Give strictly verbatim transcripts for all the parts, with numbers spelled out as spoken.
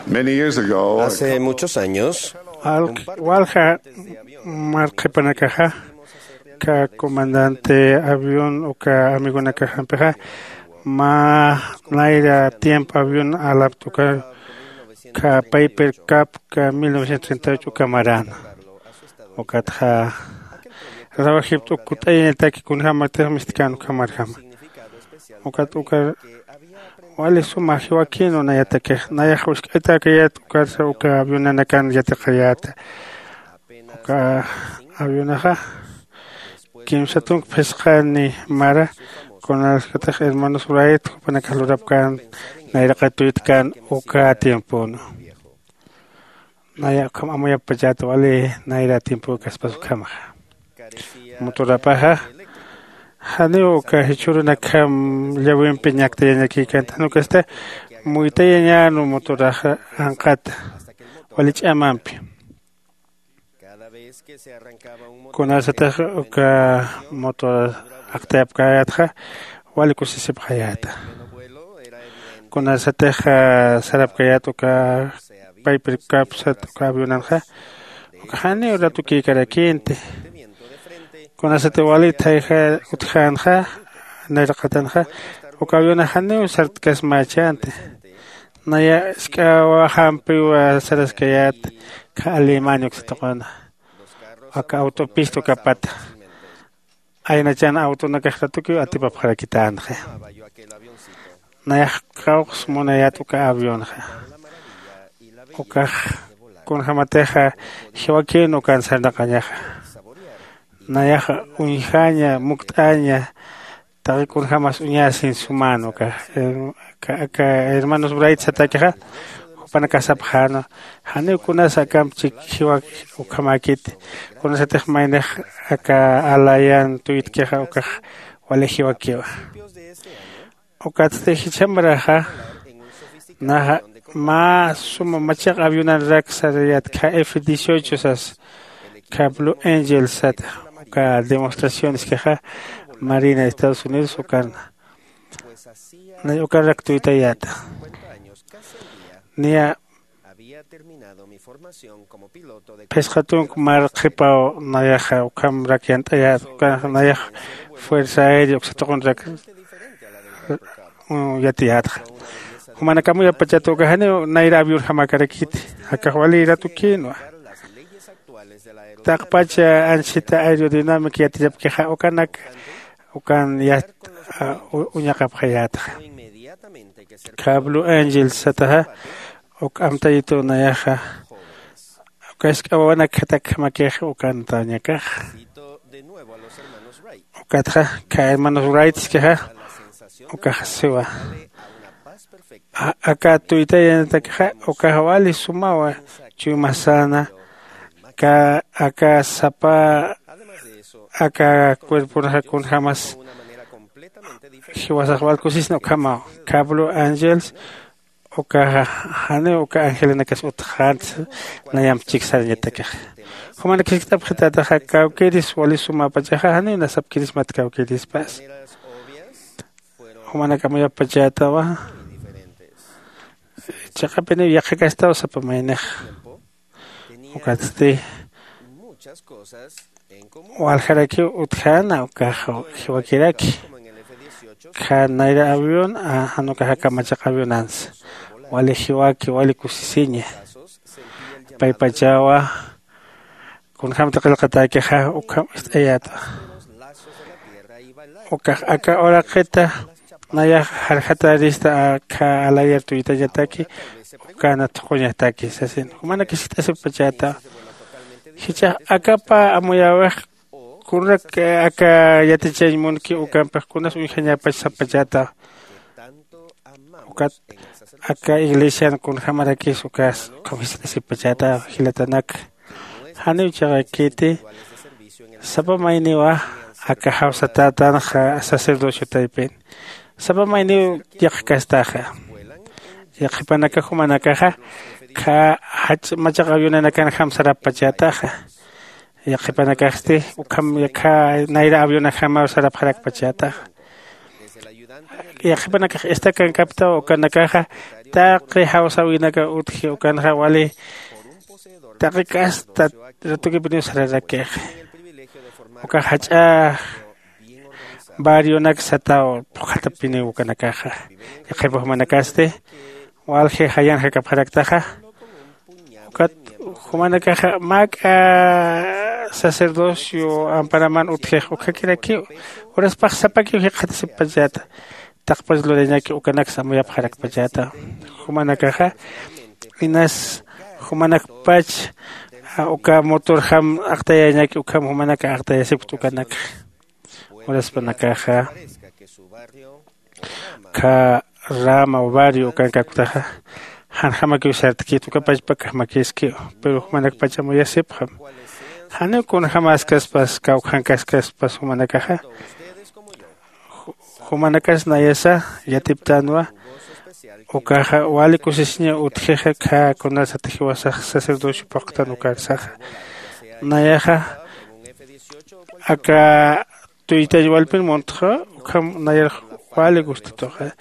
Many years ago, hace muchos años, walja marqhipanakaxa, ka comandante avión uka amigonakaxampixa, ma nayra tiempo avión alapta uka, ka Piper Cub ka mil novecientos treinta y ocho uka marana. Ukatxa rawajipta uk kut'ayañataki kunjämatix mistkan ukhamarjama. Ukat uka wali suma jiwakïnwa nayatakix, nayax wisk'aytäkayät ukarsa uka avionanakan yatiqayäta. Uka avionaxa kimsa tunk phisqani mara, kunasatix hermanos Wright jupanakax lurapkän nayraqat tuytkan uka tiempon. Naya ukham amuyapachäta wali nayra tiempükaspas ukhamaxa. Motorapaxa janiw uka jichhürunakjam llawimpi ñaktayañakïkänti, jan ukasti muytayañän motoraxa anqata wali ch'amampi. Kunasatix uka motor aqtayapkäyätxa wali kusisipxayäta. Kunasatix sarapkäyät uka Piper Cub sat uka avionanxa, uka janiw ratukïkarakïnti. Kunasatix wali thayja utjänxa, nayraqatanxa, uka avionax janiw sartkasmächänti. Naya jisk'awajampiw saraskayät, ka Alemania uksa tuquna, aka autopista ukapata. Aynachan autonakax ratukiw atipapxarakitänxa. Nayax kawqs munayät uka avionxa. Ukax kunjämatixa jiwakïn ukan sarnaqañaxa. Nayax uñjaña, mukt'aña, taqi kunjämas uñasin sumän ukax. Aka hermanos Wright satakixa, jupanakax sapxänwa, janiw kunas akamp chik jiwak ukhamäkiti, kunasatix maynix aka alayan tuytkixa ukax wali jiwakiwa. Ukatsti jichhamaraxa naxa mä suma machaq avionanrak sarayät, ka F dieciocho sas, ka Blue Angel sat, uka demostracioneskixa Marina Estados Unidos ukan. Nay ukarak tuytayäta. Niya phisqa tunk marqhipaw nayaxa ukhamrak yant'ayät, uka nayax Fuerza Aérea uksa tuqunrak yatiyätxa. Jumanak amuyapachäta uka janiw nayra avionjamäkarakiti, akax wali ratukïnwa. Taqpacha anchhita aerodinámica yatiyapkixa ukanak ukan yat uñaqapxayätxa. Ka Blue Angel sataxa uk amtayitu nayaxa, uka jisk'a wawanak jatakjamakix ukantañakax. Ukatxa ka hermanos Wrightskixa ukax siwa, aka tuytayañatakixa ukax wali sumawa chuymasana, ka aka sapa aka cuerponaxa kunjämas jiwasax wal kusisna ukhamaw. Ka Blue Angels ukaxa janiw uka angelinakas utjänti, nayamp chik sarañatakixa. Jumanak jiskt'apxitätaxa kawkïris wali sumapachaxa janiw nasapkïrismat kawkïrispas. Jumanak amuyapachätawa, chiqapiniw yaqhakastaw sapa maynix. Ukatsti waljarakiw utjäna ukax jiwakiraki. Jan nayra avión jan ukax aka machaq avionansa wali jiwaki, wali kusisiña. Paypachawa kunjämti qillqatäkixa ukham ist'ayäta. Ukax aka uraqita nayax jarjatarista aka alayar tuytañataki, ukana thuquñataki sasin. Jumanak jiskt'asipachäta, jichhax akapa amuyäwix kunak aka yatichañ munki ukampix kunas uñjañapach sapachäta. Ukat aka iglesian kunjämarakis ukas ukham jiskt'asipachäta, jilatanak. Janiw chiqakiti, sapa mayniwa aka jawsatätanxa sacerdocio taypin sapa mayniw yaqhkastaxa. Yaqhipanakax jumanakaxa kha jach machaq avionanakanjam sarapachätaxa. Yaqhipanakaxsti ukham kha nayra avionajamaw sarapxarakpachätaxa. Yaqhipanakax istakankaptaw ukanakaxa taqi jawsäwinaka utji ukanxa wali taqi kasta ratukipiniw sararakixa. Ukax jach'a barrionak sataw phuqhatapiniw ukanakaxa. Yaqhipa jumanakasti walji jayan jakapxaraktaxa ukat jumanakaxa mak'a sacerdocio amparaman utjix ukakirakiw uraspax sapakiw jikxatasipachata. Taqpach lurañaki ukanaksa amuyapxarakpachata jumanakaxa inas jumanakpach uka motorjam aqtayañaki ukham jumanaka aqtayasipkta ukanakxa. Uraspanakaxa kha rama o barrio ukankaktaxa janjamakiw sartkit uka pachpakax makiskiw. Pero jumanakpach amuyasipxam janiw kunjämaskaspas kawkhankaskaspas jumanakaxa jumanakas nayasa yatiptänwa. Ukaxa wali kusisiña utjixa kha kunasat jiwasax sacerdocio phuqtan ukarsaxa nayaxa aka tuytañ walpin muntxa ukham nayar wali gustatuxa.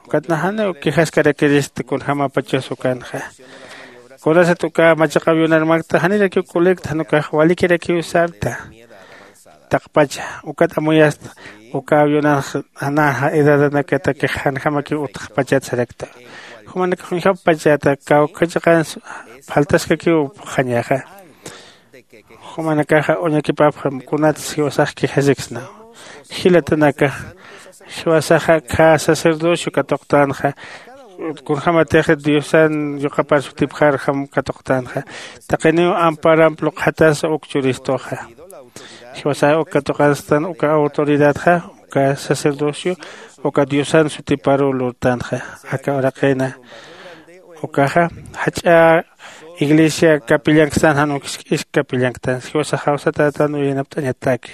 Ukat naxaniw quejaskarakirista kunjämapachas ukanxa kunasat uka machaq avionarmakta janirakiw colecta jan ukax walikirakiw sarta. Taqpacha ukat amuyasta uka avionanx janaxa edadanakatakix janjamakiw utxpachat sarakta. Jumanakax uñjapachata kawkha chiqans faltaskakiw phuqhañaxa. Jumanakaxa uñakipapxam kunatsa jiwasax quejasiksnaw. Jilatanaka jiwasaxa kha sacerdocio katuqtänxa kunjämatix diosan yuqapar sutipxarjam katuqtänxa taqiniw amparamp luqxatasa uk churistuxa. Jiwasax uk katuqanstan uka autoridadxa uka sacerdocio uka diosan sutiparuw lurtänxa. Aka uraqina ukaxa jach'a iglesia capillanktan jan ukisk isk capillanktan jiwasax jawsatätan uyanapt'añataki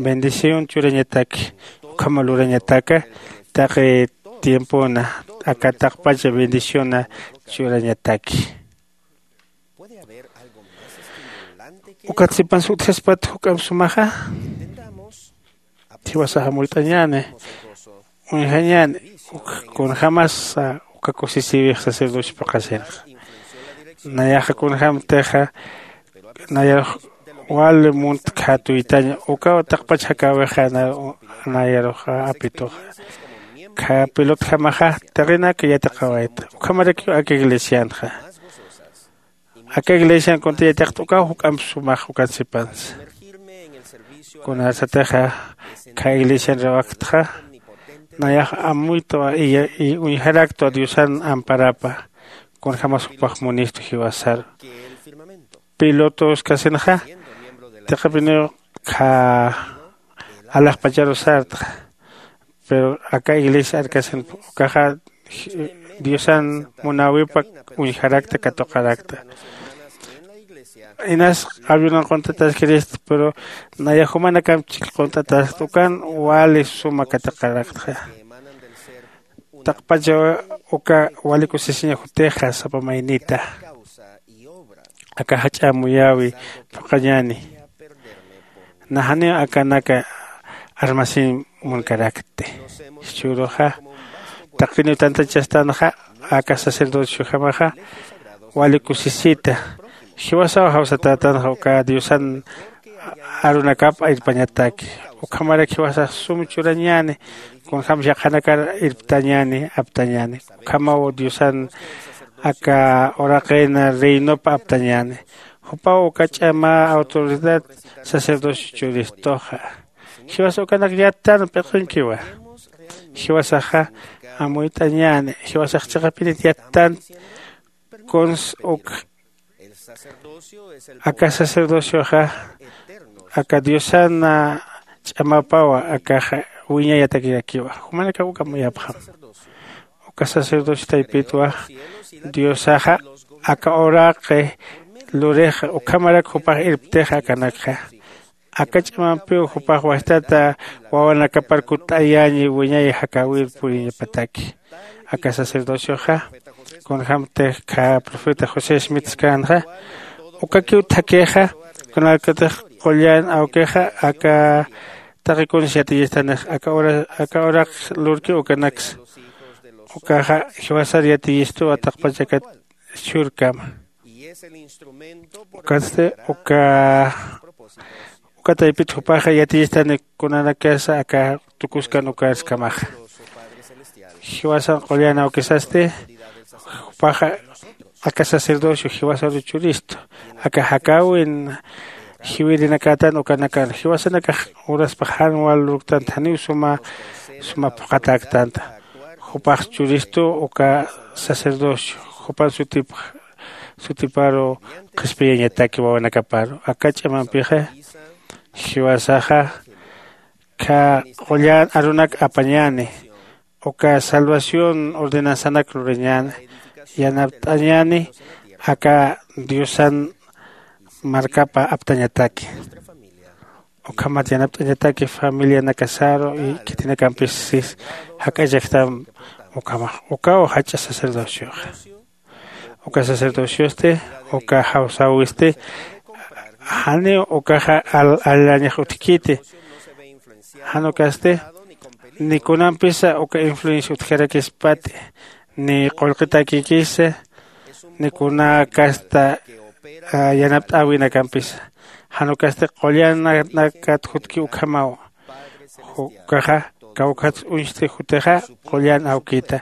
bendición churañataki ukhama lurañataka taqi tiempona aka taqpacha bendiciona churañataki. Ukat sipansa utjaspat juk'amp sumaxa jiwasax amuyt'añäni uñjañäni kunjämasa uka kusisïwix sacerdocio phuqhasinxa. Nayaxa kunjämtixa nayarux wali muntkha tuytañ ukaw taqpach jakäwixa nayarux apituxa. Kha pilotjamaxa taqinaka yatiqawayta ukhamarakiw aka iglesianxa aka iglesian kunta yatiqta ukaw juk'amp sumax ukan sipansa. Kunasatixa kha iglesian riwaktxa nayax amuytwa y uñjaraktwa diosan amparapa kunjämas jupax munistu jiwasaru. Pilotoskasinxa tiqipiniw kha alaxpacharu sartxa. Pero aka iglesia arkasin ukaxa diosan munäwipa uñjarakta katuqarakta. Inas avionan quntataskirista pero naya jumanakamp chikl quntataskta ukan wali suma katuqaraktxa. Taqpacha uka wali kusisiña jutixa sapa maynita aka jach'a muyäwi phuqhañäni. Naxaniw akanaka armasiñ munkarakti. Jichhüruxa taqiniw tantachastanxa aka sacerdociojamaxa wali kusisita jiwasaw jawsatätanxa uka diosan arunakap irpañataki. Ukhamarak jiwasax sum churañäni kunjämsa yaqhanakar irptañäni aptañäni. Ukhamaw diosan aka uraqin reinop aptañäni. Jupaw uka ch'ama autoridad sacerdocio churistuxa. Jiwasa ukanak yattan p'iqinkiwa. Jiwasaxa amuyt'añäni jiwasax chiqapinit yattan kuns uk aka sacerdocioxa aka diosan ch'amapawa akaxa wiñayatakirakiwa. Jumanakax uka amuyapxam uka sacerdocio taypitwa diosaxa aka uraqi lurixa ukhamarak jupax irptixa akanakxa. Aka ch'amampiw jupax wajtata wawanakapar kutt'ayäñi wiñay jakäwir puriñapataki. Aka sacerdocioxa kunjämtix kha profeta josé smith skänxa ukakiw thakhixa kunalkatix qullan awkixa aka taqi kuns yatiyistanix aka uraq lurki ukanaksa. Ukaxa jiwasar yatiyistuwa taqpachakat shurkama. Ukatsti uka uka taypit jupaxa yatiyistani kunanakasa aka tukuskan ukarskamaxa. Jiwasan qullan awkisasti jupaxa aka sacerdocio jiwasaru churistu aka jakäwin jiwirinakatan ukanakan jiwasanakax uraspax jan wal lurktanta janiw suma suma phuqhatäktanta. Jupax churistu uka sacerdocio jupan sutipx sutiparu qhispiyañataki wawanakaparu aka ch'amampixa jiwasaxa kha qullan arunak apañäni uka salvación ordenanzanak lurañäni yanapt'añäni aka diosan markapa aptañataki. Ukhamat yanapt'añataki familianakasaru y khitinakampis sis jak'achaktam ukhamax ukaw jach'a sacerdocioxa. Uka sacerdociosti uka jawsäwisti janiw ukaxa allañax utjkiti. Jan ukasti ni kunampisa uka influencia utjkarakispati ni qullqitäkikisa ni kuna kasta yanapt'äwinakampisa. Jan ukasti qullan nakat jutki ukhamaw ukaxa kawkhats uñsti jutixa qullan awkita.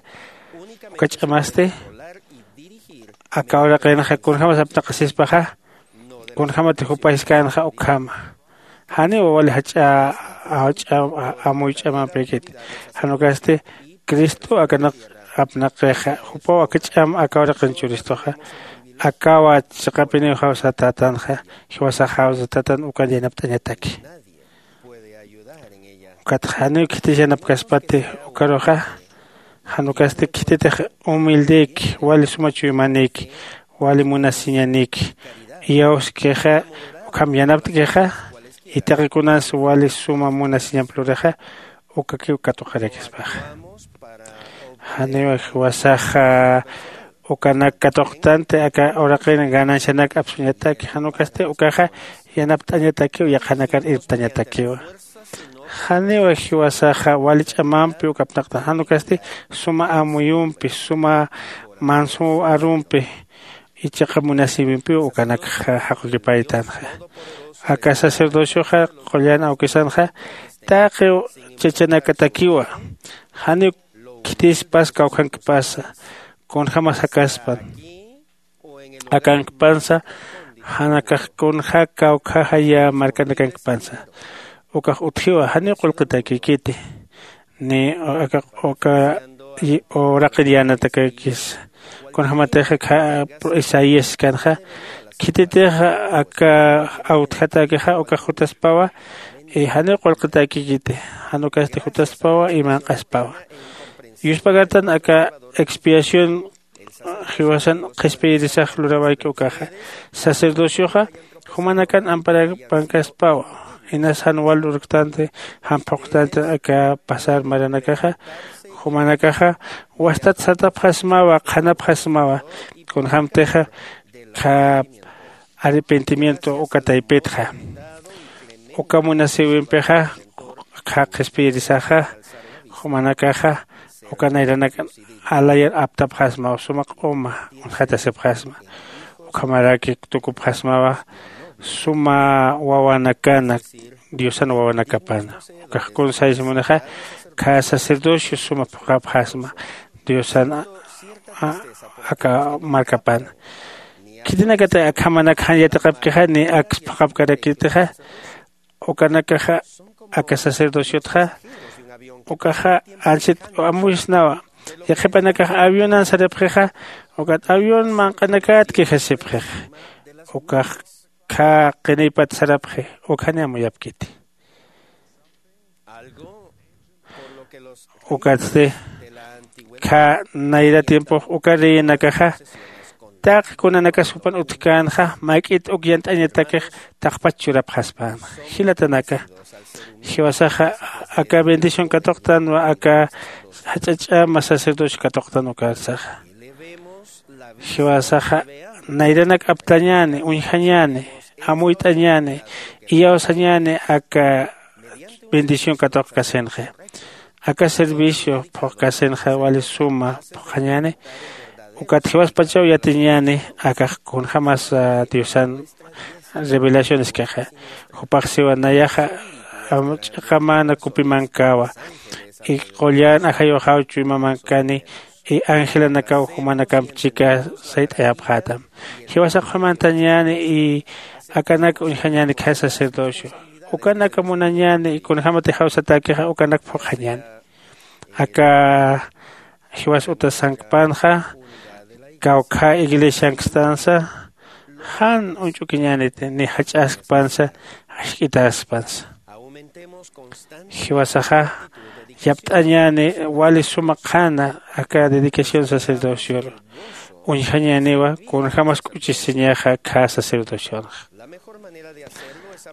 Uka ch'amasti aka uraqinxa kunjämas apnaqasispaxa kunjämati jupa jiskänxa ukhama. Janiw wali jach'a jach'a amuy ch'amampïkiti. Jan ukasti cristo akanak apnaqixa jupaw aka ch'am aka uraqin churistuxa. Akawa chiqapiniw jawsatätanxa jiwasax jawsatätan ukan yanapt'añataki. Ukatxa janiw khitis yanapkaspati ukaruxa jan ukasti khititix humildïki wali suma chuymanïki wali munasiñanïki iyawskixa ukham yanapt'kixa. Itaqi kunas wali suma munasiñamp lurixa ukakiw katuqarakispaxa. Janiw jiwasaxa ukanak katuqtanti aka uraqin ganancianak apsuñataki jan ukasti ukaxa yanapt'añatakiw yaqhanakar irptañatakiwa. Janiw jiwasaxa wali ch'amampi ukapnaqtan jan ukasti suma amuyumpi suma mansu arumpi ichaqa munasïwimpiw ukanakxa jaqukipaytanxa. Aka sacerdocioxa qullan awkisanxa taqiw chachanakatakiwa. Janiw khitispas kawkhankpasa kunjämas jakaspan akankpansa janakax kunja kawkjaxa yä markanakankpansa. Ukax utjiwa janiw qullqitäkïkiti ni aka uka uraqir yänatakakis. Kunjämatixa isaías siskanxa khititix aka awtjatäkixa ukax jutaspawa janiw qullqitäkïkiti. Jan ukasti jutaspawa y manq'aspawa. Yuspagartan aka expiación jiwasan qhispiyirisax lurawayki ukaxa sacerdocioxa jumanakan amparapankaspawa. Inas jan wal urktanti jan phuqtanti aka pasar maranakaxa jumanakaxa wastat sartapxasmawa qhanapxasmawa. Kunjämtixa kha arrepentimiento uka taypitxa uka munasïwimpixa kha qhispiyirisaxa jumanakaxa uka nayranak alayar aptapxasmaw suma q'uma uñjatasipxasma. Ukhamaraki tukupxasmawa suma wawanakana diosan wawanakapana. Ukax kunsaysimunixa kha sacerdocio suma phuqhapxasma diosan aka markapana. Khitinakatay akhamanak jan yatiqapkixa ni aks phuqhapkarakitixa ukanakaxa aka sacerdociotxa ukaxa ansit amuysnawa. Yaqhipanakax avionan sarapxixa ukat avión manq'anakat quejasipxixa ukax khä qiniypat sarapxi. Ukhani amuyapkiti ukatsti khä nayra tiempox uka reyinakaxa taqi kunanakas jupan utjkänxa mayk'it uk yant'añatakix taqpach churapxaspäna. Jilatanaka jiwasaxa aka bendición katuqtanwa aka jach'a ch'ama sacerdocio katuqtan ukarsaxa. Jiwasaxa nayranak aptañäni uñjañäni amuyt'añäni iyawsañäni aka bendición katuqkasinxa. Aka servicio phuqkasinxa wali suma phuqañäni. Ukat jiwaspachaw yatiñäni akax kunjämasa diosan revelacioneskaxa. Jupax siwa nayaxa ch'iqamäna kupimankäwa, y qullan ajayuxaw chuymamankani, y angelanakaw jumanakamp chika sayt'ayapxätam. Jiwasax qhumantañäni y akanak uñjañäni khä sacerdocio. Ukanak munañäni y kunjämatix jawsatäkixa ukanak phuqhañäni. Aka jiwas utasankpanxa kawkhä iglesiankstansa jan uñch'ukiñäniti ni jach'askpansa jask'itäspansa. Jiwasaxa yapt'añäni wali suma qhana aka dedicación sacerdocioru. Uñjañäniwa kunjämas k'uchisiñaxa khä sacerdocionxa.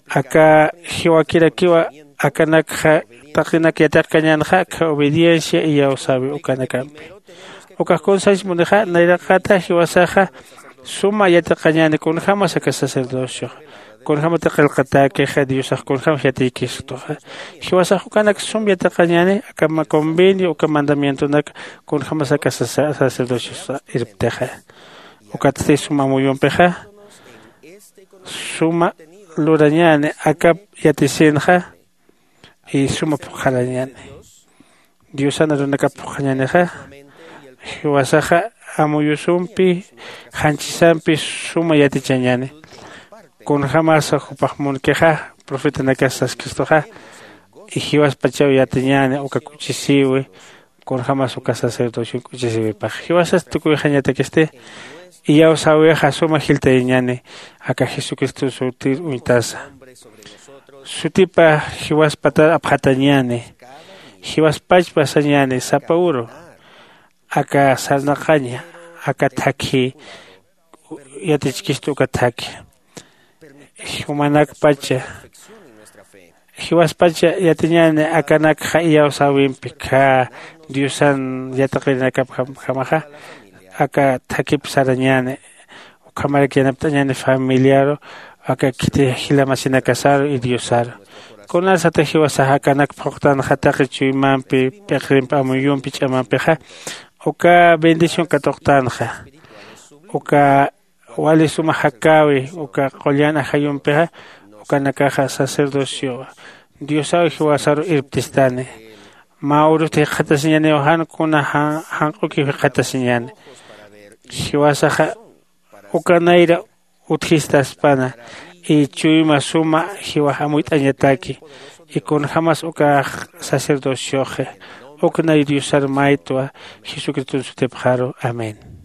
Aka jiwakirakiwa akanakxa taqinak yatiqkañänxa akha obediencia iyawsäwi ukanakampi. Ukax kunsach munixa nayraqata jiwasaxa suma yatiqañäni kunjämas aka sacerdocioxa, kunjämati qillqatäkixa diosax kunjämas yatiykistuxa. Jiwasax ukanak sum yatiqañäni aka convenio uka mandamientonak kunjämas aka sacerdociosa irptixa. Ukatsti suma amuyumpixa suma lurañäni akap yatisinxa y suma phuqharañäni. Diosan arunakap phuqhañänixa jiwasaxa amuyusumpi janchisampi suma yatichañäni. Kunjämasa jupax munkixa profetanakas saskistuxa y jiwaspachaw yatiñäni uka k'uchisïwi kunjämas uka sacerdocion k'uchisïwipax. Jiwasas tukuyxañatakisti iyawsäwixa suma jiltayañäni aka jesucristo sutir uñtasa. Sutipa jiwaspatar apxatañäni. Jiwaspachpa sañäni sapa uru aka sarnaqaña aka thakhi yatichkistu uka thakhi. Jumanakpacha jiwaspacha yatiñäni akanakxa iyawsäwimpi khä diosan yatiqirinakapjamaxa aka thakip sarañäni. Ukhamarak yanapt'añäni familiaru aka khiti jila masinakasaru y diosaru. Kunasata jiwasax akanak phuqtanxa taqi chuymampi p'iqrimpi amuyumpi ch'amampixa uka bendición katuqtanxa. Uka wali suma jakäwi uka qullan ajayumpixa ukanakaxa sacerdociowa diosaw jiwasaru irptistani. Mä urusti jikxatasiñaniw jan kuna janq'ukiw jikxatasiñani. Jiwasaxa uka nayra utjistaspana y chuyma suma jiwax amuyt'añataki. Y kunjämas ukax sacerdocioxi uk nay diosar maytwa jesucriston sutipxaru. Amén.